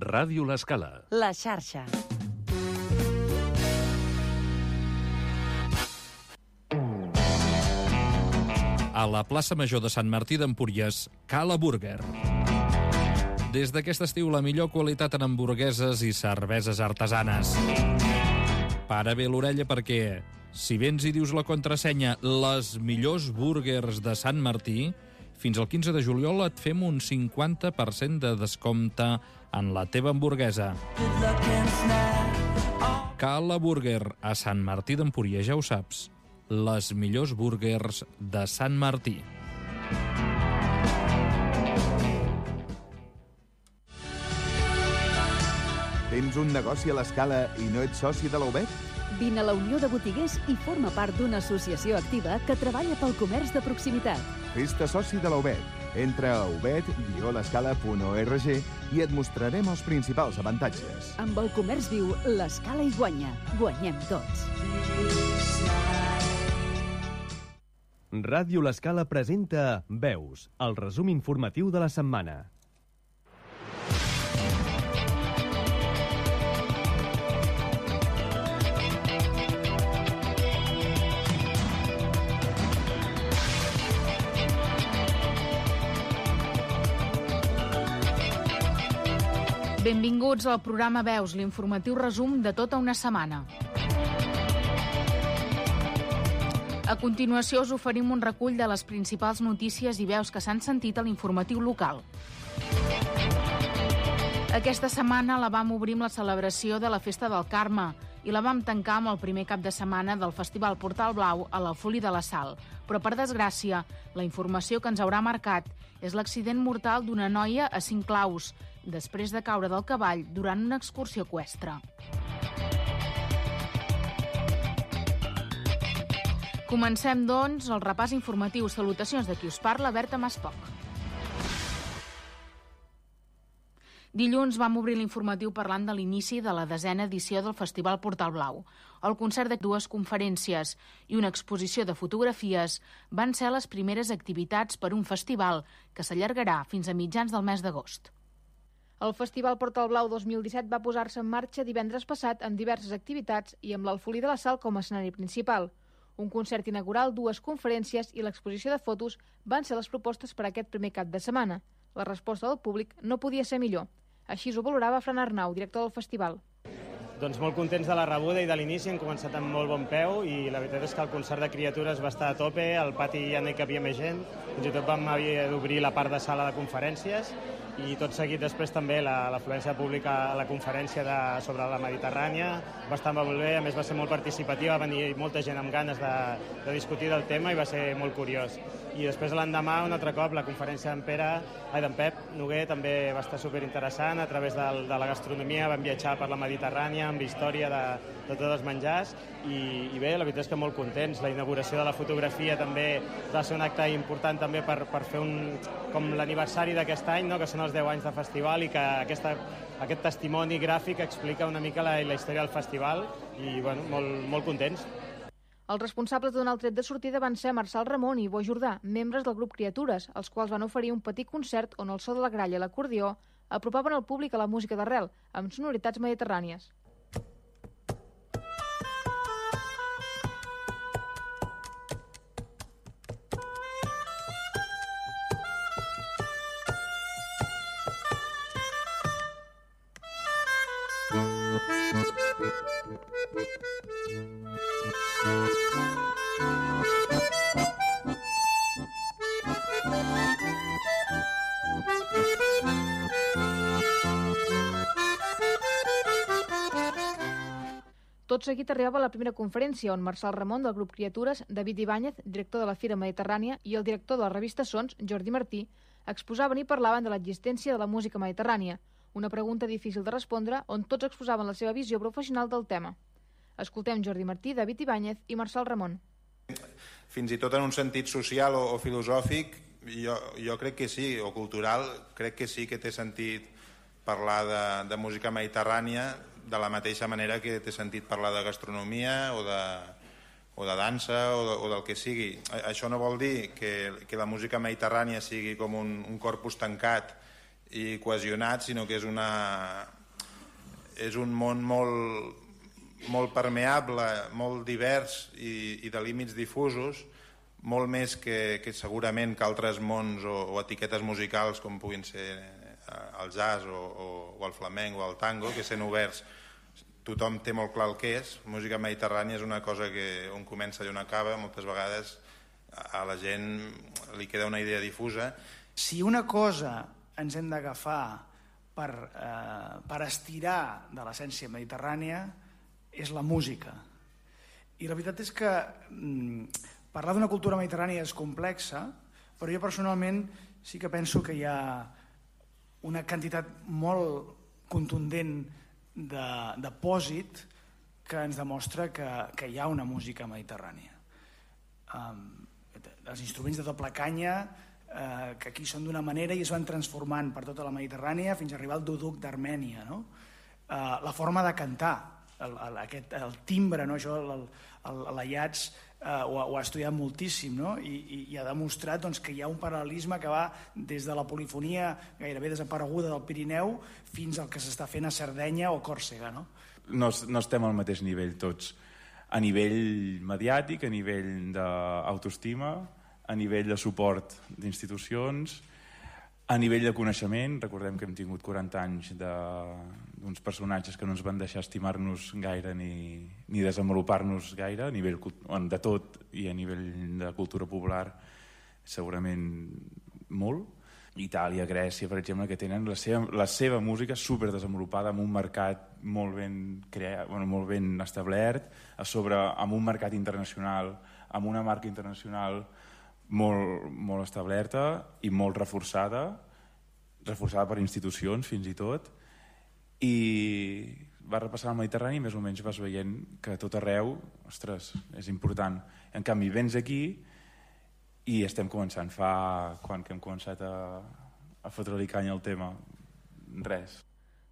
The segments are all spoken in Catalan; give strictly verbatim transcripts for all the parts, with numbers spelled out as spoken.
Ràdio L'Escala. La xarxa. A la plaça Major de Sant Martí d'Empúries, Cala Burger. Des d'aquest estiu, la millor qualitat en hamburgueses i cerveses artesanes. Para bé l'orella perquè, si vens i dius la contrasenya les millors burgers de Sant Martí, fins al quinze de juliol et fem un cinquanta per cent de descompte en la teva hamburguesa. Cala Burger, a Sant Martí d'Empúries, ja ho saps. Les millors burgers de Sant Martí. Tens un negoci a l'Escala i no ets soci de la U B E T? Vine a la Unió de Botiguers i forma part d'una associació activa que treballa pel comerç de proximitat. Fes-te soci de la U B E T. Entra a u b e t guió l'escala punt org i et mostrarem els principals avantatges. Amb el comerç viu, l'Escala hi guanya. Guanyem tots. Ràdio L'Escala presenta Veus, el resum informatiu de la setmana. Benvinguts al programa Veus, l'informatiu resum de tota una setmana. A continuació us oferim un recull de les principals notícies i veus que s'han sentit a l'informatiu local. Aquesta setmana la vam obrir amb la celebració de la Festa del Carme i la vam tancar amb el primer cap de setmana del Festival Portal Blau a l'Alfolí de la Sal. Però, per desgràcia, la informació que ens haurà marcat és l'accident mortal d'una noia a Cinclaus, després de caure del cavall durant una excursió eqüestre. Comencem, doncs, el repàs informatiu. Salutacions de qui us parla, Berta Maspoc. Dilluns vam obrir l'informatiu parlant de l'inici de la desena edició del Festival Portal Blau. El concert de dues conferències i una exposició de fotografies van ser les primeres activitats per un festival que s'allargarà fins a mitjans del mes d'agost. El Festival Portal Blau dos mil disset va posar-se en marxa divendres passat amb diverses activitats i amb l'Alfolí de la Sal com a escenari principal. Un concert inaugural, dues conferències i l'exposició de fotos van ser les propostes per a aquest primer cap de setmana. La resposta del públic no podia ser millor. Així ho valorava Fran Arnau, director del festival. Doncs molt contents de la rebuda i de l'inici, hem començat amb molt bon peu i la veritat és que el concert de criatures va estar a tope, al pati ja no hi capia més gent, fins i tot vam haver d'obrir la part de sala de conferències i tot seguit després també l'afluència pública a la conferència de, sobre la Mediterrània va estar molt bé, a més va ser molt participativa, va venir molta gent amb ganes de, de discutir del tema i va ser molt curiós. I després l'endemà, un altre cop, la conferència d'en Pere, ai, d'en Pep Noguer també va estar superinteressant, a través de, de la gastronomia vam viatjar per la Mediterrània amb història de, de tots els menjars i, i bé, la veritat és que molt contents. La inauguració de la fotografia també va ser un acte important també per, per fer un, com l'aniversari d'aquest any, no? Que són els deu anys de festival i que aquesta, aquest testimoni gràfic explica una mica la, la història del festival i bueno, molt, molt contents. Els responsables de donar el tret de sortida van ser Marçal Ramon i Bo Jordà, membres del grup Criatures, els quals van oferir un petit concert on el so de la gralla i l'acordió apropaven el públic a la música d'arrel, amb sonoritats mediterrànies. Tot seguit arribava la primera conferència on Marçal Ramon del grup Criatures, David Ibáñez, director de la Fira Mediterrània, i el director de la revista Sons, Jordi Martí, exposaven i parlaven de l'existència de la música mediterrània, una pregunta difícil de respondre on tots exposaven la seva visió professional del tema. Escoltem Jordi Martí, David Ibáñez i Marçal Ramon. Fins i tot en un sentit social o, o filosòfic, jo, jo crec que sí, o cultural, crec que sí que té sentit parlar de, de música mediterrània de la mateixa manera que té sentit parlar de gastronomia o de, o de dansa o, de, o del que sigui. Això no vol dir que, que la música mediterrània sigui com un, un corpus tancat i cohesionat, sinó que és, una, és un món molt, molt permeable, molt divers i, i de límits difusos, molt més que, que segurament que altres mons o, o etiquetes musicals com puguin ser el jazz o, o, o el flamenc o el tango, que sent oberts tothom té molt clar el que és. Música mediterrània és una cosa que on comença i on acaba, moltes vegades a la gent li queda una idea difusa. Si una cosa ens hem d'agafar per, eh, per estirar de l'essència mediterrània és la música. I la veritat és que mm, parlar d'una cultura mediterrània és complexa, però jo personalment sí que penso que hi ha una quantitat molt contundent de, de pòsit que ens demostra que, que hi ha una música mediterrània. Um, els instruments de doble canya, eh, que aquí són d'una manera i es van transformant per tota la Mediterrània fins a arribar al duduk d'Armènia, no? Eh, la forma de cantar, el, el, aquest, el timbre, no? Això l'Aiats eh, ho, ho ha estudiat moltíssim, no? I, i, i ha demostrat doncs, que hi ha un paral·lelisme que va des de la polifonia gairebé desapareguda del Pirineu fins al que s'està fent a Sardenya o Còrsega, no? No, no estem al mateix nivell tots, a nivell mediàtic, a nivell d'autoestima, a nivell de suport d'institucions, a nivell de coneixement. Recordem que hem tingut quaranta anys d'uns personatges que no ens van deixar estimar-nos gaire ni, ni desenvolupar-nos gaire, a nivell de tot i a nivell de cultura popular segurament molt. Itàlia, Grècia, per exemple, que tenen la seva, la seva música superdesenvolupada amb un mercat molt ben, creat, bueno, molt ben establert, a sobre amb un mercat internacional, amb una marca internacional molt, molt establerta i molt reforçada, reforçada per institucions fins i tot, i va repassar el Mediterrani i més o menys vas veient que a tot arreu, ostres, és important. En canvi, vens aquí i estem començant, fa quan que hem començat a, a fotre-li canya al tema, res.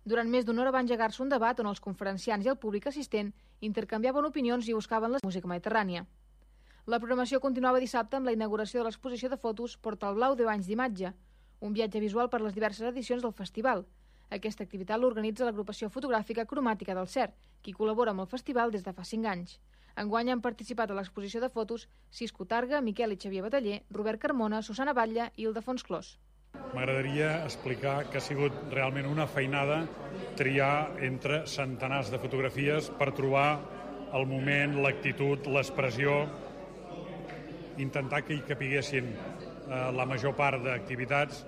Durant més d'una hora va engegar-se un debat on els conferenciants i el públic assistent intercanviaven opinions i buscaven la música mediterrània. La programació continuava dissabte amb la inauguració de l'exposició de fotos Portal Blau deu anys d'imatge, un viatge visual per les diverses edicions del festival. Aquesta activitat l'organitza l'agrupació fotogràfica Cromàtica del Cer, qui col·labora amb el festival des de fa cinc anys. Enguany han participat a l'exposició de fotos Cisco Targa, Miquel i Xavier Bataller, Robert Carmona, Susana Batlle i Ildefons Clos. M'agradaria explicar que ha sigut realment una feinada triar entre centenars de fotografies per trobar el moment, l'actitud, l'expressió, intentar que hi capiguessin eh, la major part d'activitats.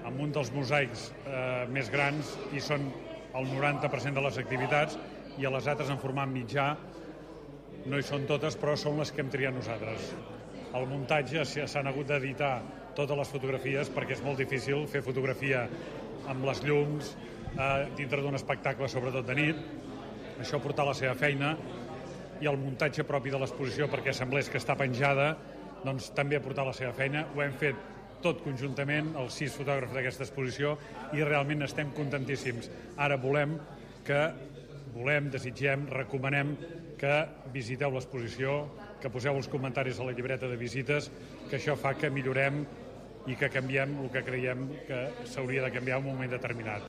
Amb un dels mosaics eh, més grans hi són el noranta per cent de les activitats i a les altres en format mitjà no hi són totes, però són les que hem triat nosaltres. El muntatge s'han hagut d'editar totes les fotografies perquè és molt difícil fer fotografia amb les llums eh, dintre d'un espectacle, sobretot de nit. Això ha portat la seva feina i el muntatge propi de l'exposició, perquè semblés que està penjada, doncs també ha portat la seva feina. Ho hem fet tot conjuntament, els sis fotògrafs d'aquesta exposició, i realment estem contentíssims. Ara volem que volem, desitgem, recomanem que visiteu l'exposició, que poseu els comentaris a la llibreta de visites, que això fa que millorem i que canviem el que creiem que s'hauria de canviar en un moment determinat.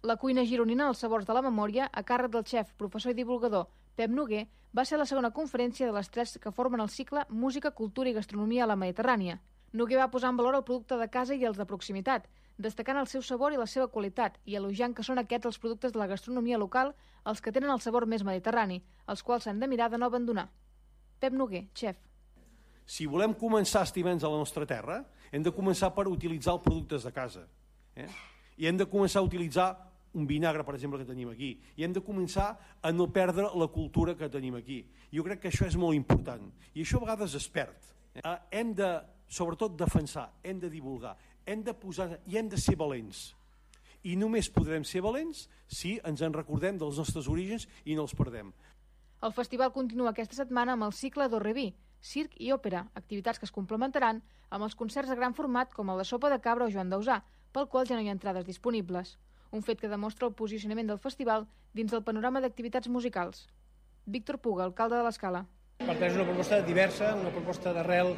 La cuina gironina als sabors de la memòria, a càrrec del xef, professor i divulgador Pep Noguer, va ser la segona conferència de les tres que formen el cicle Música, Cultura i Gastronomia a la Mediterrània. Noguer va posar en valor el producte de casa i els de proximitat, destacant el seu sabor i la seva qualitat i elogiant que són aquests els productes de la gastronomia local els que tenen el sabor més mediterrani, els quals s'han de mirar de no abandonar. Pep Noguer, xef. Si volem començar a estimar-nos a la nostra terra, hem de començar per utilitzar els productes de casa. Eh? I hem de començar a utilitzar un vinagre, per exemple, que tenim aquí. I hem de començar a no perdre la cultura que tenim aquí. Jo crec que això és molt important. I això a vegades es perd. Eh? Hem de, sobretot, defensar, hem de divulgar, hem de posar i hem de ser valents. I només podrem ser valents si ens en recordem dels nostres orígens i no els perdem. El festival continua aquesta setmana amb el cicle d'Orreví, circ i òpera, activitats que es complementaran amb els concerts de gran format com el de Sopa de Cabra o Joan Dausà, pel qual ja no hi ha entrades disponibles. Un fet que demostra el posicionament del festival dins del panorama d'activitats musicals. Víctor Puga, alcalde de l'Escala. Per tant, és una proposta diversa, una proposta d'arrel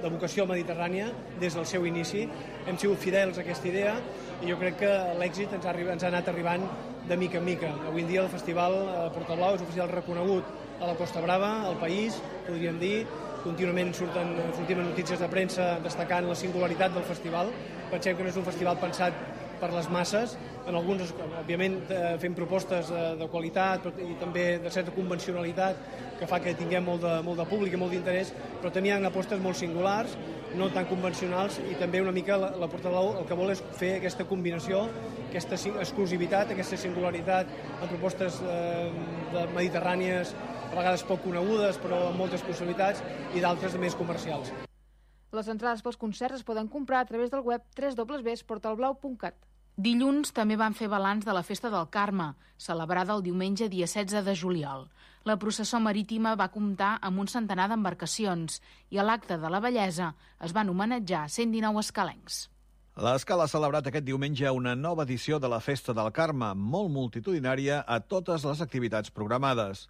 de vocació mediterrània des del seu inici. Hem sigut fidels a aquesta idea i jo crec que l'èxit ens ha, ens ha anat arribant de mica en mica. Avui en dia el festival Portablau és un festival reconegut a la Costa Brava, al país, podríem dir. Contínuament surten, sortim en notícies de premsa destacant la singularitat del festival. Pensem que no és un festival pensat per les masses, en alguns, òbviament, fem propostes de, de qualitat i també de certa convencionalitat que fa que tinguem molt de, molt de públic i molt d'interès, però també hi ha apostes molt singulars, no tan convencionals, i també una mica la, la Portablau el que vol és fer aquesta combinació, aquesta exclusivitat, aquesta singularitat en propostes eh, de mediterrànies, a vegades poc conegudes, però amb moltes possibilitats, i d'altres més comercials. Les entrades pels concerts es poden comprar a través del web w w w punt portalblau punt cat. Dilluns també van fer balanç de la Festa del Carme, celebrada el diumenge dia setze de juliol. La processó marítima va comptar amb un centenar d'embarcacions i a l'acte de la bellesa es van homenatjar cent dinou escalencs. L'Escala ha celebrat aquest diumenge una nova edició de la Festa del Carme, molt multitudinària a totes les activitats programades.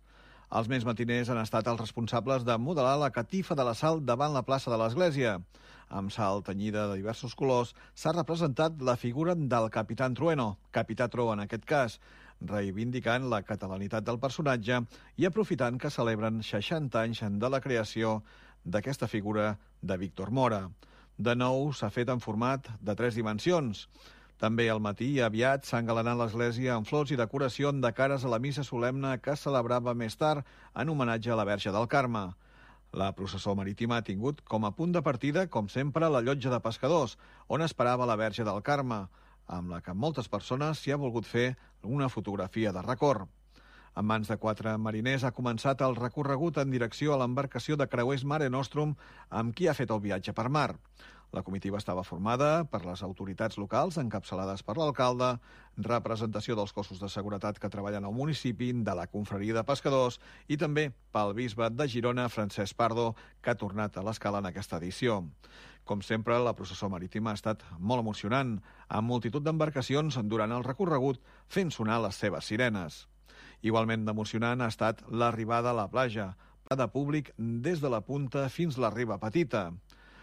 Els més matiners han estat els responsables de modelar la catifa de la Sal davant la plaça de l'Església. Amb sal tenyida de diversos colors, s'ha representat la figura del Capitán Trueno, Capità Tro en aquest cas, reivindicant la catalanitat del personatge i aprofitant que celebren seixanta anys de la creació d'aquesta figura de Víctor Mora. De nou s'ha fet en format de tres dimensions. També al matí aviat s'ha engalanat l'església amb flors i decoració de cares a la missa solemne que es celebrava més tard en homenatge a la Verge del Carme. La processó marítima ha tingut com a punt de partida, com sempre, la llotja de pescadors, on esperava la Verge del Carme, amb la que moltes persones s'hi ha volgut fer una fotografia de record. En mans de quatre mariners ha començat el recorregut en direcció a l'embarcació de creuers Mare Nostrum amb qui ha fet el viatge per mar. La comitiva estava formada per les autoritats locals, encapçalades per l'alcalde, representació dels cossos de seguretat que treballen al municipi, de la confraria de pescadors i també pel bisbe de Girona, Francesc Pardo, que ha tornat a l'Escala en aquesta edició. Com sempre, la processó marítima ha estat molt emocionant, amb multitud d'embarcacions durant el recorregut fent sonar les seves sirenes. Igualment emocionant ha estat l'arribada a la platja, de públic des de la punta fins a la riba petita.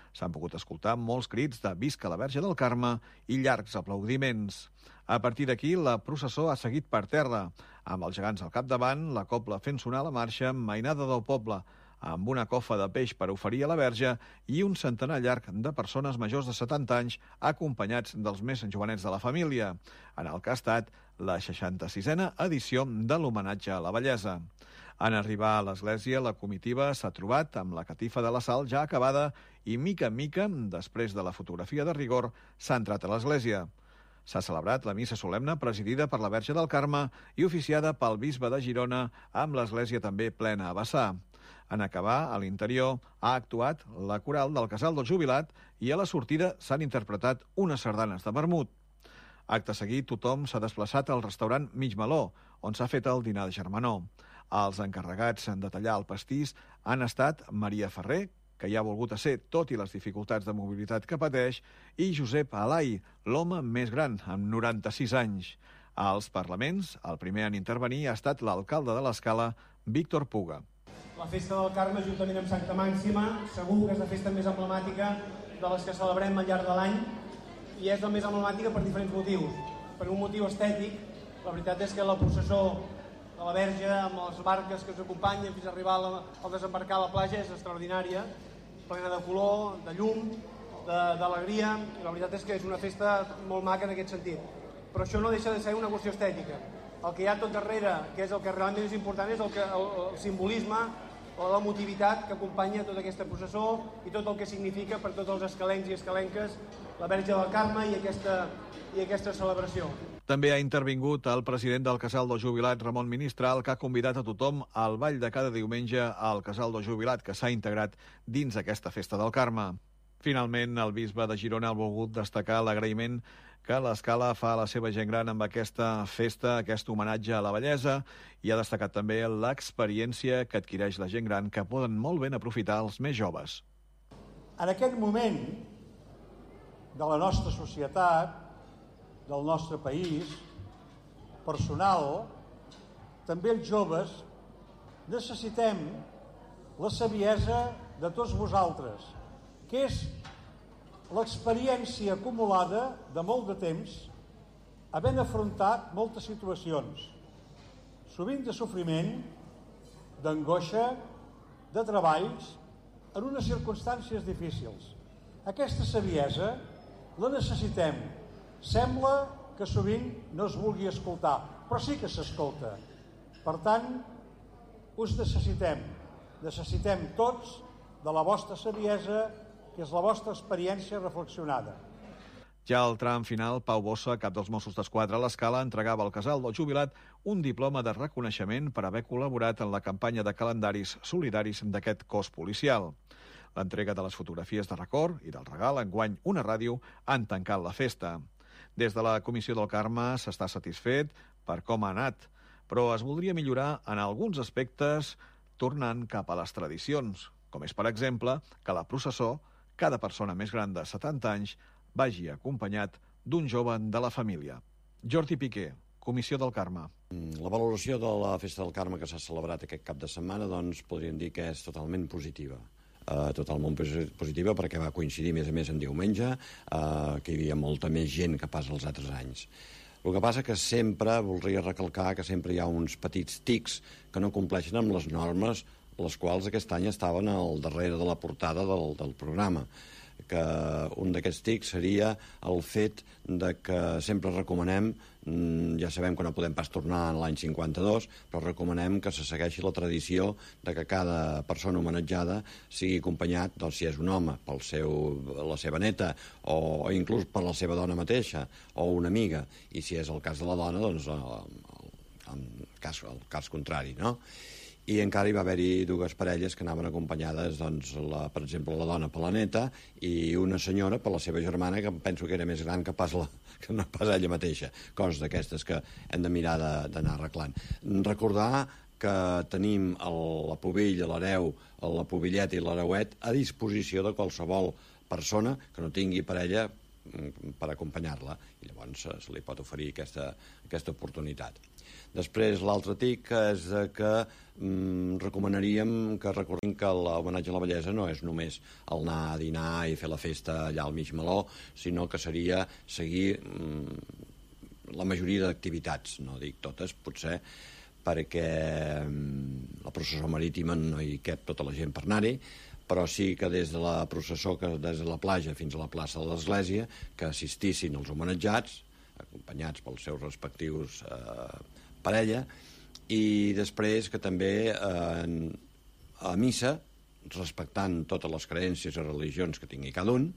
S'han pogut escoltar molts crits de «Visca la Verge del Carme» i llargs aplaudiments. A partir d'aquí, la processó ha seguit per terra, amb els gegants al capdavant, la cobla fent sonar la marxa, mainada del poble, amb una cofa de peix per oferir a la Verge i un centenar llarg de persones majors de setanta anys acompanyats dels més jovenets de la família, en el que ha estat la seixanta-sisena edició de l'homenatge a la bellesa. En arribar a l'església, la comitiva s'ha trobat amb la catifa de la Sal ja acabada i, mica en mica, després de la fotografia de rigor, s'ha entrat a l'església. S'ha celebrat la missa solemne presidida per la Verge del Carme i oficiada pel bisbe de Girona, amb l'església també plena a vessar. En acabar, a l'interior, ha actuat la coral del Casal del Jubilat i a la sortida s'han interpretat unes sardanes de vermut. Acte seguit, tothom s'ha desplaçat al restaurant Mig Meló, on s'ha fet el dinar de germanor. Els encarregats de tallar el pastís han estat Maria Ferrer, que ja ha volgut a ser tot i les dificultats de mobilitat que pateix, i Josep Alai, l'home més gran, amb noranta-sis anys. Als parlaments, el primer en intervenir ha estat l'alcalde de l'Escala, Víctor Puga. La Festa del Carme, juntament amb Santa Màxima, segur que és la festa més emblemàtica de les que celebrem al llarg de l'any, i és la més emblemàtica per diferents motius. Per un motiu estètic, la veritat és que la processó de la Verge, amb les barques que ens acompanyen fins a arribar al desembarcar a la platja, és extraordinària, plena de color, de llum, d'alegria, i la veritat és que és una festa molt maca en aquest sentit. Però això no deixa de ser una qüestió estètica. El que hi ha tot darrere, que és el que realment és important, és el, que, el, el simbolisme o l'emotivitat que acompanya tota aquesta processó i tot el que significa per tots els escalencs i escalenques la Verge del Carme i aquesta, i aquesta celebració. També ha intervingut el president del Casal del Jubilat, Ramon Ministral, que ha convidat a tothom al ball de cada diumenge al Casal del Jubilat, que s'ha integrat dins aquesta festa del Carme. Finalment, el bisbe de Girona ha volgut destacar l'agraïment que l'Escala fa a la seva gent gran amb aquesta festa, aquest homenatge a la bellesa, i ha destacat també l'experiència que adquireix la gent gran, que poden molt ben aprofitar els més joves. En aquest moment de la nostra societat, del nostre país, personal, també els joves necessitem la saviesa de tots vosaltres, que és l'experiència acumulada de molt de temps, havent afrontat moltes situacions, sovint de sofriment, d'angoixa, de treballs, en unes circumstàncies difícils. Aquesta saviesa la necessitem. Sembla que sovint no es vulgui escoltar, però sí que s'escolta. Per tant, us necessitem. Necessitem tots de la vostra saviesa, que és la vostra experiència reflexionada. Ja al tram final, Pau Bossa, cap dels Mossos d'Esquadra a l'Escala, entregava al casal del jubilat un diploma de reconeixement per haver col·laborat en la campanya de calendaris solidaris d'aquest cos policial. L'entrega de les fotografies de record i del regal, enguany una ràdio, han tancat la festa. Des de la Comissió del Carme s'està satisfet per com ha anat, però es voldria millorar en alguns aspectes tornant cap a les tradicions, com és, per exemple, que la processó, cada persona més gran de setanta anys, vagi acompanyat d'un jove de la família. Jordi Piqué, Comissió del Carme. La valoració de la Festa del Carme que s'ha celebrat aquest cap de setmana, doncs, podríem dir que és totalment positiva. Uh, totalment positiva perquè va coincidir, a més a més, en diumenge, uh, que hi havia molta més gent que pas els altres anys. El que passa que sempre, voldria recalcar que sempre hi ha uns petits tics que no compleixen amb les normes, les quals aquest any estaven al darrere de la portada del, del programa. Que un d'aquests tics seria el fet de que sempre recomanem, ja sabem que no podem pas tornar a l'any cinquanta-dos, però recomanem que se segueixi la tradició de que cada persona homenatjada sigui acompanyat, doncs, si és un home, per la seva neta, o, o inclús per la seva dona mateixa, o una amiga, i si és el cas de la dona, doncs el, el, el, cas, el cas contrari, no? I encara hi va haver-hi dues parelles que anaven acompanyades, doncs, la, per exemple, la dona per la neta i una senyora per la seva germana, que penso que era més gran que pas, la, que no pas ella mateixa. Coses d'aquestes que hem de mirar d'anar arreglant. Recordar que tenim el, la pubilla, l'hereu, la pubilleta i l'hereuet a disposició de qualsevol persona que no tingui parella per acompanyar-la, i llavors se li pot oferir aquesta, aquesta oportunitat. Després, l'altre tic és que mm, recomanaríem que recordem que l'homenatge a la bellesa no és només el anar a dinar i fer la festa allà al mig meló, sinó que seria seguir mm, la majoria d'activitats, no dic totes, potser, perquè mm, la processó marítima no hi cap tota la gent per anar-hi, però sí que des de la processó, que des de la platja fins a la plaça de l'Església, que assistissin els homenatjats, acompanyats pels seus respectius eh, parella, i després que també eh, a missa, respectant totes les creences i religions que tingui cada un.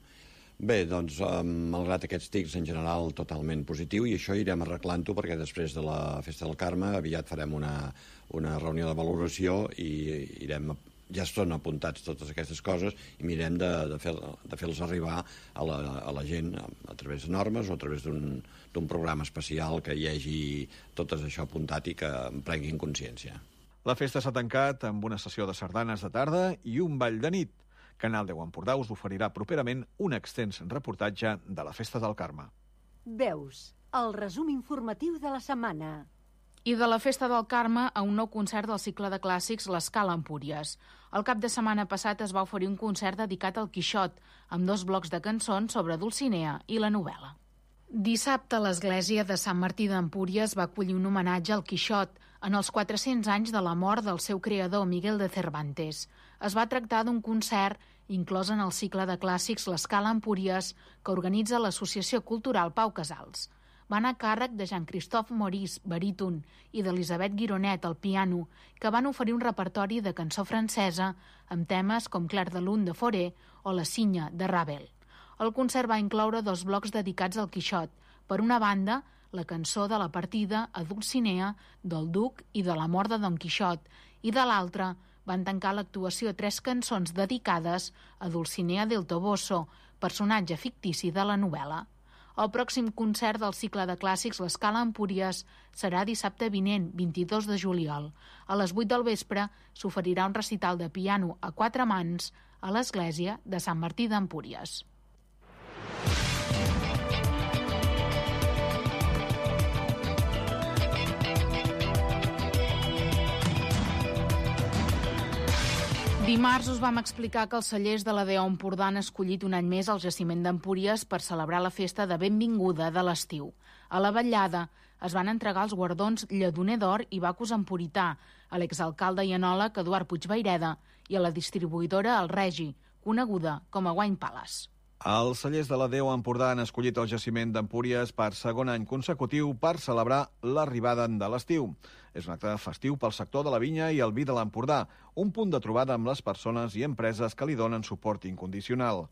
Bé, doncs, eh, malgrat aquests tics, en general, totalment positiu, i això irem arreglant-ho perquè després de la Festa del Carme aviat farem una, una reunió de valoració i irem ja són apuntats totes aquestes coses i mirem de, de, fer, de fer-los arribar a la, a la gent a, a través de normes o a través d'un programa especial que hi hagi tot això apuntat i que en prenguin consciència. La festa s'ha tancat amb una sessió de sardanes de tarda i un ball de nit. Canal deu Empordà us oferirà properament un extens reportatge de la Festa del Carme. Veus, el resum informatiu de la setmana. I de la Festa del Carme a un nou concert del cicle de clàssics l'Escala Empúries. El cap de setmana passat es va oferir un concert dedicat al Quixot, amb dos blocs de cançons sobre Dulcinea i la novel·la. Dissabte, l'església de Sant Martí d'Empúries va acollir un homenatge al Quixot en els quatre-cents anys de la mort del seu creador, Miguel de Cervantes. Es va tractar d'un concert inclòs en el cicle de clàssics l'Escala Empúries, que organitza l'Associació Cultural Pau Casals. Van a càrrec de Jean-Christophe Maurice, baríton, i d'Elisabeth Gironet, al piano, que van oferir un repertori de cançó francesa amb temes com Clair de Lune de Fauré o La Cinya de Ravel. El concert va incloure dos blocs dedicats al Quixot. Per una banda, la cançó de la partida a Dulcinea, del Duc i de la mort de Don Quixot, i de l'altra van tancar l'actuació tres cançons dedicades a Dulcinea del Toboso, personatge fictici de la novel·la. El pròxim concert del cicle de clàssics l'Escala Empúries serà dissabte vinent, vint-i-dos de juliol. A les vuit del vespre s'oferirà un recital de piano a quatre mans a l'església de Sant Martí d'Empúries. Dimarts us vam explicar que els cellers de la D O Empordà han escollit un any més el jaciment d'Empúries per celebrar la festa de benvinguda de l'estiu. A la vetllada es van entregar els guardons Lledoner d'Or i Bacus Emporità a l'exalcalde i enòleg Eduard Puigvaireda i a la distribuïdora El Regi, coneguda com a Wine Palace. Els cellers de la D O Empordà han escollit el jaciment d'Empúries per segon any consecutiu per celebrar l'arribada de l'estiu. És un acte festiu pel sector de la vinya i el vi de l'Empordà, un punt de trobada amb les persones i empreses que li donen suport incondicional.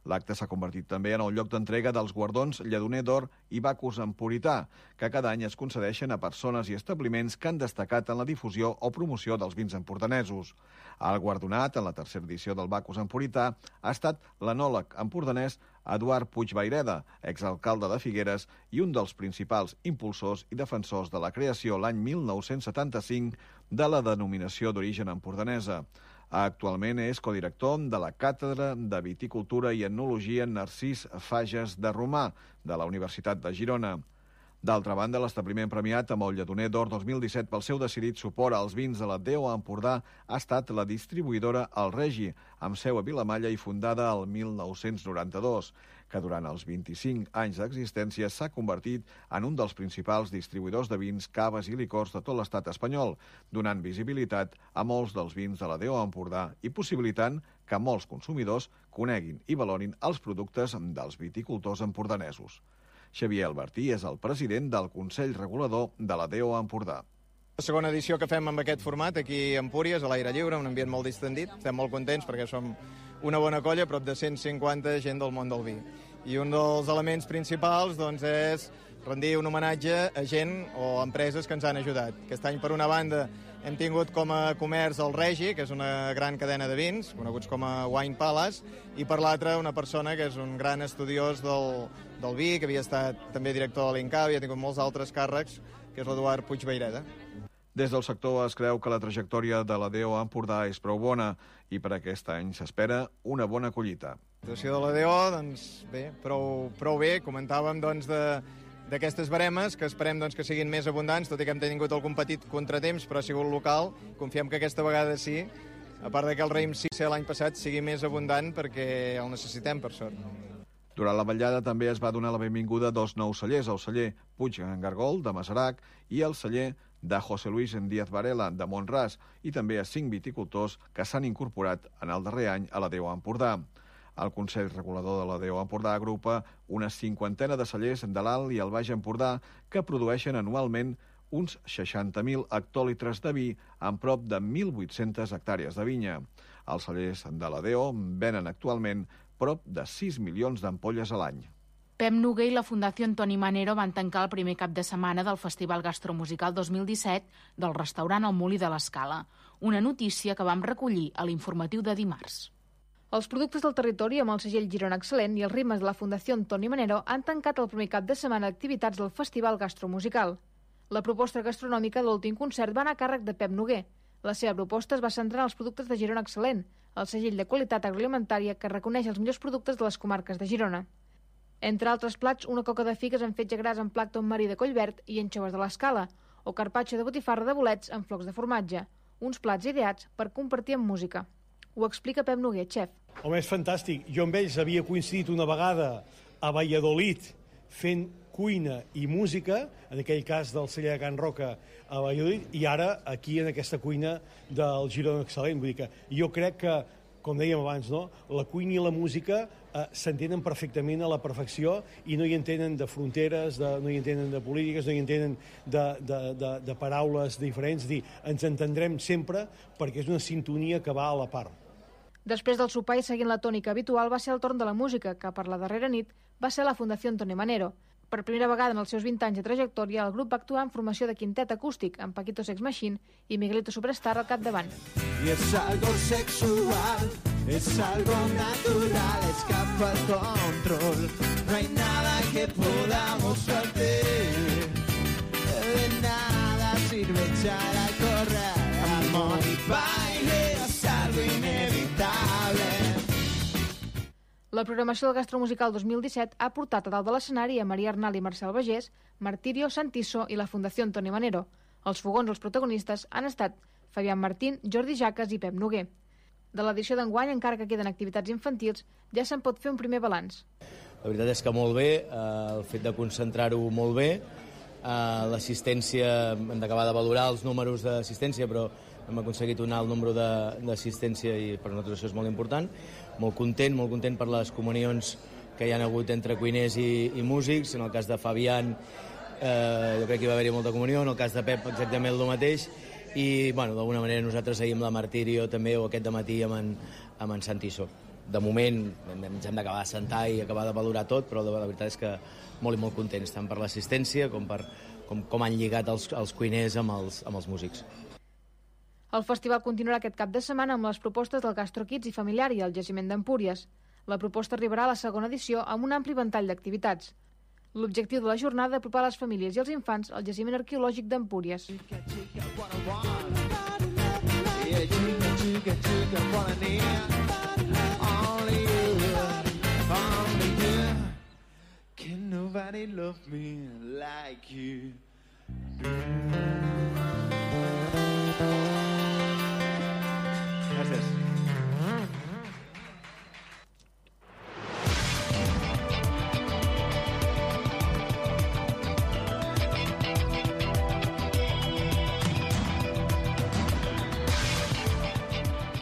L'acte s'ha convertit també en el lloc d'entrega dels guardons Lledoner d'Or i Bacus Emporità, que cada any es concedeixen a persones i establiments que han destacat en la difusió o promoció dels vins empordanesos. El guardonat en la tercera edició del Bacus Emporità ha estat l'enòleg empordanès Eduard Puigvaireda, exalcalde de Figueres i un dels principals impulsors i defensors de la creació l'any mil nou-cents setanta-cinc de la denominació d'origen empordanesa. Actualment és codirector de la Càtedra de Viticultura i Etnologia Narcís Fages de Romà, de la Universitat de Girona. D'altra banda, l'establiment premiat amb el Lledoner d'Or dos mil disset pel seu decidit suport als vins de la D O Empordà ha estat la distribuïdora El Regi, amb seu a Vilamalla i fundada el mil nou-cents noranta-dos, que durant els vint-i-cinc anys d'existència s'ha convertit en un dels principals distribuïdors de vins, caves i licors de tot l'estat espanyol, donant visibilitat a molts dels vins de la D O Empordà i possibilitant que molts consumidors coneguin i valorin els productes dels viticultors empordanesos. Xavier Albertí és el president del Consell Regulador de la D O Empordà. La segona edició que fem amb aquest format aquí a Empúries, a l'aire lliure, un ambient molt distendit. Estem molt contents perquè som una bona colla, prop de cent cinquanta gent del món del vi. I un dels elements principals doncs, és rendir un homenatge a gent o empreses que ens han ajudat. Aquest any, per una banda, hem tingut com a comerç el Regi, que és una gran cadena de vins, coneguts com a Wine Palace, i per l'altra una persona que és un gran estudiós del, del vi, que havia estat també director de l'Inca, havia tingut molts altres càrrecs, que és l'Eduard Puigvaireda. Des del sector es creu que la trajectòria de la D O Empordà és prou bona i per aquest any s'espera una bona collita. La situació de la D O, doncs bé, prou, prou bé. Comentàvem doncs de d'aquestes baremes, que esperem doncs, que siguin més abundants, tot i que hem tingut algun petit contratemps, però ha sigut local. Confiem que aquesta vegada sí, a part de que el raïm sí ser l'any passat sigui més abundant perquè el necessitem, per sort. Durant la vetllada també es va donar la benvinguda a dos nous cellers, el celler Puig Gargol, de Masarac, i el celler de José Luis Díaz Varela, de Montràs, i també a cinc viticultors que s'han incorporat en el darrer any a la D O Empordà. El Consell Regulador de la D O Empordà agrupa una cinquantena de cellers de l'Alt i el Baix Empordà que produeixen anualment uns seixanta mil hectòlitres de vi amb prop de mil vuit-centes hectàrees de vinya. Els cellers de la D O venen actualment prop de sis milions d'ampolles a l'any. Pep Noguer i la Fundació Toni Manero van tancar el primer cap de setmana del Festival Gastromusical dos mil disset del restaurant El Molí de l'Escala, una notícia que vam recollir a l'informatiu de dimarts. Els productes del territori amb el segell Girona Excel·lent i els ritmes de la Fundació Toni Manero han tancat el primer cap de setmana d'activitats del Festival Gastromusical. La proposta gastronòmica de l'últim concert va anar a càrrec de Pep Noguer. La seva proposta es va centrar en els productes de Girona Excel·lent, el segell de qualitat agroalimentària que reconeix els millors productes de les comarques de Girona. Entre altres plats, una coca de figues amb fetge gras amb plàcton marí de collverd i anxoves de l'Escala, o carpaccio de botifarra de bolets amb flocs de formatge, uns plats ideats per compartir amb música. Ho explica Pep Noguer, xef. Home, és fantàstic. Jo amb ells havia coincidit una vegada a Valladolid fent cuina i música, en aquell cas del celler de Can Roca a Valladolid, i ara aquí en aquesta cuina del Girona Excel·lent. Vull dir que jo crec que, com dèiem abans, no? La cuina i la música eh, s'entenen perfectament a la perfecció i no hi entenen de fronteres, de, no hi entenen de polítiques, no hi entenen de, de, de, de paraules diferents. Dir, ens entendrem sempre perquè és una sintonia que va a la part. Després del sopar i seguint la tònica habitual va ser el torn de la música, que per la darrera nit va ser la Fundació Toni Manero. Per primera vegada en els seus vint anys de trajectòria, el grup va actuar en formació de quintet acústic, amb Paquito Sex Machine i Miguelito Superstar al capdavant. Y es algo sexual, es algo natural, escapa el control, no hay nada que podamos hacer, de nada sirve echar a correr, amor y baile es algo inevitable. La programació del Gastromusical dos mil disset ha portat a dalt de l'escenari a Maria Arnal i Marcel Bagés, Martirio Santiso i la Fundació Toni Manero. Els fogons, els protagonistes, han estat Fabián Martín, Jordi Jaques i Pep Noguer. De l'edició d'enguany, encara que queden activitats infantils, ja se'n pot fer un primer balanç. La veritat és que molt bé, el fet de concentrar-ho molt bé, l'assistència, hem d'acabar de valorar els números d'assistència, però hem aconseguit un alt número d'assistència i per nosaltres això és molt important. Molt content, molt content per les comunions que hi ha hagut entre cuiners i, i músics. En el cas de Fabián, eh, jo crec que hi va haver-hi molta comunió, en el cas de Pep exactament el mateix, i bueno, d'alguna manera nosaltres seguim la Martirio també, o aquest dematí amb en, amb en Santiso. De moment ens hem d'acabar de sentar i acabar de valorar tot, però la veritat és que molt i molt contents, tant per l'assistència com per com, com han lligat els, els cuiners amb els, amb els músics. El festival continuarà aquest cap de setmana amb les propostes del Gastro Kids i Familiar i el Jaciment d'Empúries. La proposta arribarà a la segona edició amb un ampli ventall d'activitats. L'objectiu de la jornada és apropar les famílies i els infants al jaciment arqueològic d'Empúries. Can nobody love me like you? Gràcies.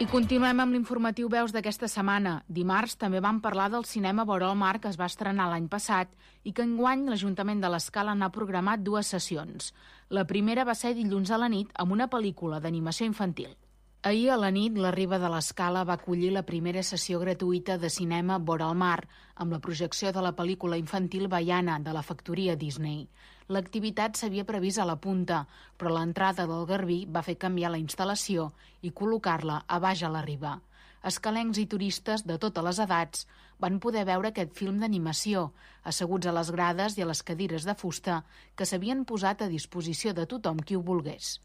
I continuem amb l'informatiu Veus d'aquesta setmana. Dimarts també vam parlar del cinema Vora el mar, que es va estrenar l'any passat i que enguany l'Ajuntament de l'Escala n'ha programat dues sessions. La primera va ser dilluns a la nit amb una pel·lícula d'animació infantil. Ahir a la nit, la Riba de l'Escala va acollir la primera sessió gratuïta de cinema Vora el mar, amb la projecció de la pel·lícula infantil Baiana, de la factoria Disney. L'activitat s'havia previst a la punta, però l'entrada del Garbí va fer canviar la instal·lació i col·locar-la a baix a la riba. Escalencs i turistes de totes les edats van poder veure aquest film d'animació, asseguts a les grades i a les cadires de fusta que s'havien posat a disposició de tothom qui ho volgués.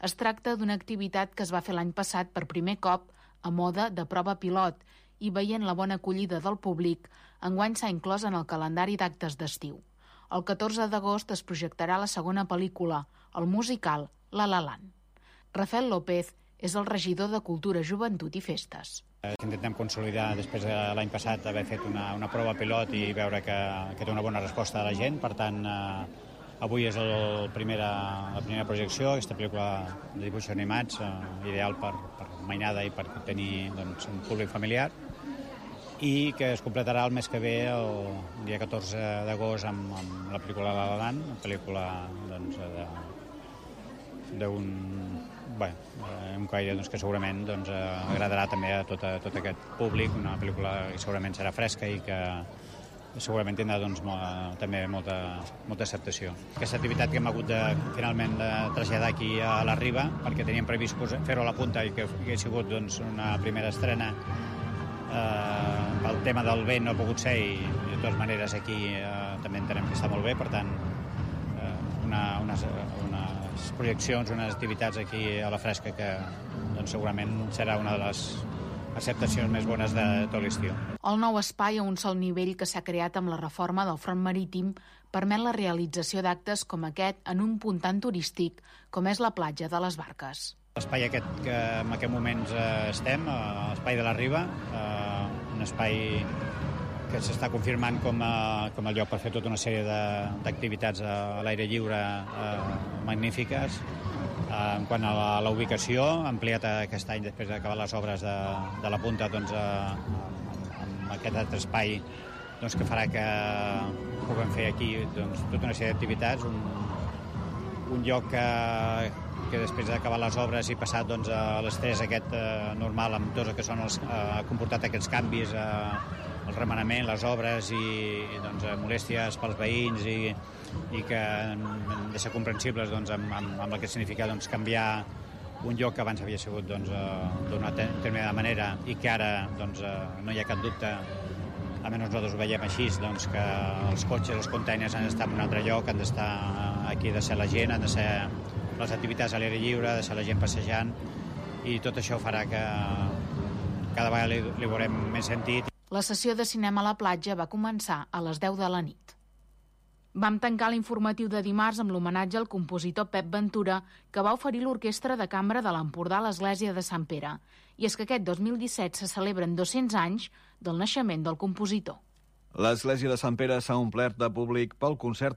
Es tracta d'una activitat que es va fer l'any passat per primer cop a mode de prova pilot i veient la bona acollida del públic, enguany s'ha inclòs en el calendari d'actes d'estiu. El catorze d'agost es projectarà la segona pel·lícula, el musical La La Land. Rafael López és el regidor de Cultura, Joventut i Festes. Intentem consolidar, després de l'any passat, haver fet una, una prova pilot i veure que, que té una bona resposta de la gent. Per tant, eh, avui és el primera, la primera projecció, aquesta pel·lícula de dibuixos animats, eh, ideal per, per mainada i per tenir doncs, un públic familiar, i que es completarà el mes que ve, el dia catorze d'agost, amb, amb la pel·lícula La La Land, una pel·lícula doncs, d'un bé, un caire doncs, que segurament doncs, agradarà també a tot, a tot aquest públic, una pel·lícula que segurament serà fresca i que segurament tindrà doncs, molt, també molta, molta acceptació. Aquesta activitat que hem hagut de, finalment de traslladar aquí a la Riba, perquè teníem previst fer-ho a la punta i que hagués sigut doncs, una primera estrena. Eh, el tema del vent no ha pogut ser i de totes maneres aquí eh, també entenem que està molt bé, per tant eh, una, unes, unes projeccions, unes activitats aquí a la fresca que doncs, segurament serà una de les acceptacions més bones de tot l'estiu. El nou espai a un sol nivell que s'ha creat amb la reforma del front marítim permet la realització d'actes com aquest en un punt tan turístic com és la platja de les Barques. L'espai aquest que en aquest moments eh, estem, eh, l'espai de la Riba, eh, un espai que s'està confirmant com a, com a lloc per fer tota una sèrie d'activitats a l'aire lliure eh, magnífiques. Eh, en quant a la, la ubicació, ha ampliat aquest any després d'acabar les obres de, de la punta doncs, eh, amb aquest altre espai doncs, que farà que puguem fer aquí doncs, tota una sèrie d'activitats, un, un lloc que que després d'acabar les obres i passat doncs, a l'estrès aquest eh, normal amb tot el que són els, eh, ha comportat aquests canvis, eh, el remenament, les obres i, i doncs, molèsties pels veïns i, i que han de ser comprensibles doncs, amb, amb, amb el que significa doncs, canviar un lloc que abans havia sigut doncs, eh, d'una determinada manera i que ara doncs, eh, no hi ha cap dubte, almenys nosaltres ho veiem així, doncs, que els cotxes, els containers han d'estar en un altre lloc, han d'estar aquí, ha de ser la gent, han de ser les activitats a l'aire lliure, de ser la gent passejant, i tot això farà que cada vegada li, li veurem més sentit. La sessió de cinema a la platja va començar a les deu de la nit. Vam tancar l'informatiu de dimarts amb l'homenatge al compositor Pep Ventura, que va oferir l'Orquestra de Cambra de l'Empordà a l'Església de Sant Pere. I és que aquest dos mil disset se celebren dos-cents anys del naixement del compositor. L'Església de Sant Pere s'ha omplert de públic pel concert